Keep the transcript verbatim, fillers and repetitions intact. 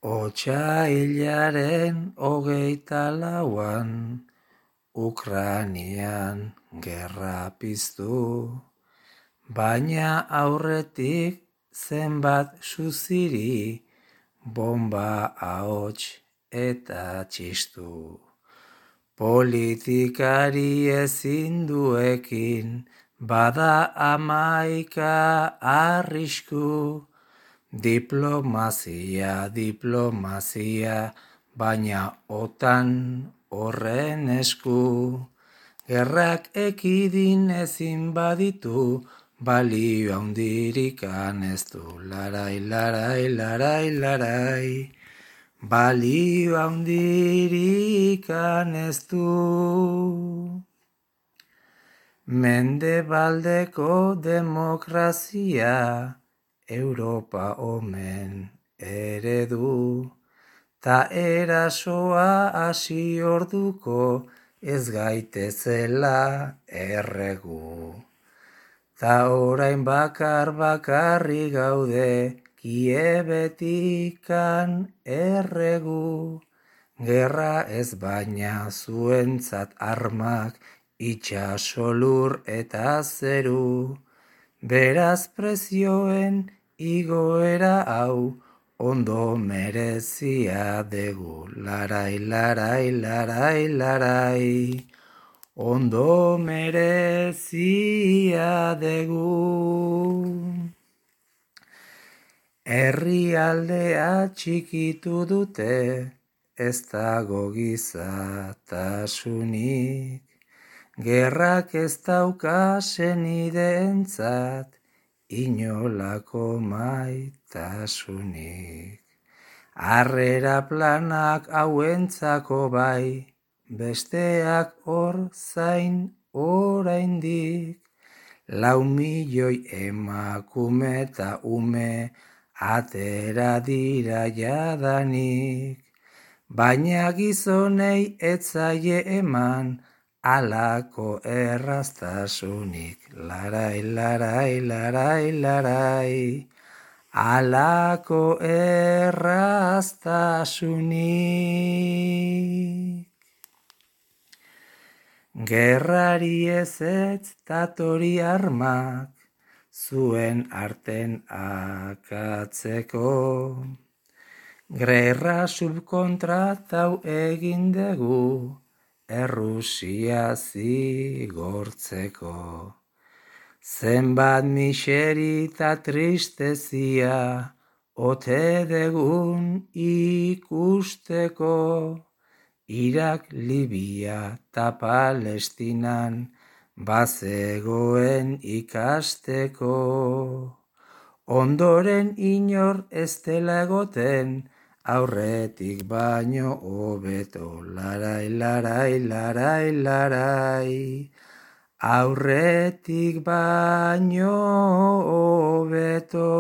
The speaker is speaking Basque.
Otsailaren hogeita lauan, Ukranian gerra piztu, baina aurretik zenbat suziri, bomba ahots eta txistu. Politikari ezin duekin, bada amaika arrisku, diplomazia, diplomazia, baina otan horren esku. Gerrak ekidin ezin baditu, balio handirikan ez du. Larai, larai, larai, larai, balio handirikan ez du. Mendebaldeko demokrazia, Europa omen eredu, ta erasoa hasi orduko ez gaitezela erregu. Ta orain bakar bakarri gaude Kiebetikan erregu. Gerra ez baina zuentzat armak itxaso lur eta zeru. Beraz prezioen igoera hau ondo merezia degu. Larai, larai, larai, larai, ondo merezia degu. Herrialdea txikitu dute, ez dago gizatasunik. Gerrak ez dauka senideentzat, inolako maitasunik. Harrera planak hauentzako bai, besteak hor zain oraindik. Lau milioi emakume eta ume atera dira jadanik. Baina gizonei ez zaie eman, alako erraztasunik. Larai, larai, larai, larai, alako erraztasunik. Gerrari ezetz tatori armak, zuen arten akatzeko. Gerra subkontratau egin dugu, Errusia zigortzeko. Zenbat miseri eta tristezia ote degun ikusteko. Irak, Libia eta Palestinan bazegoen ikasteko. Ondoren inor ez dela egoten, aurretik baino hobeto. Larai, larai, larai, larai, aurretik baino hobeto.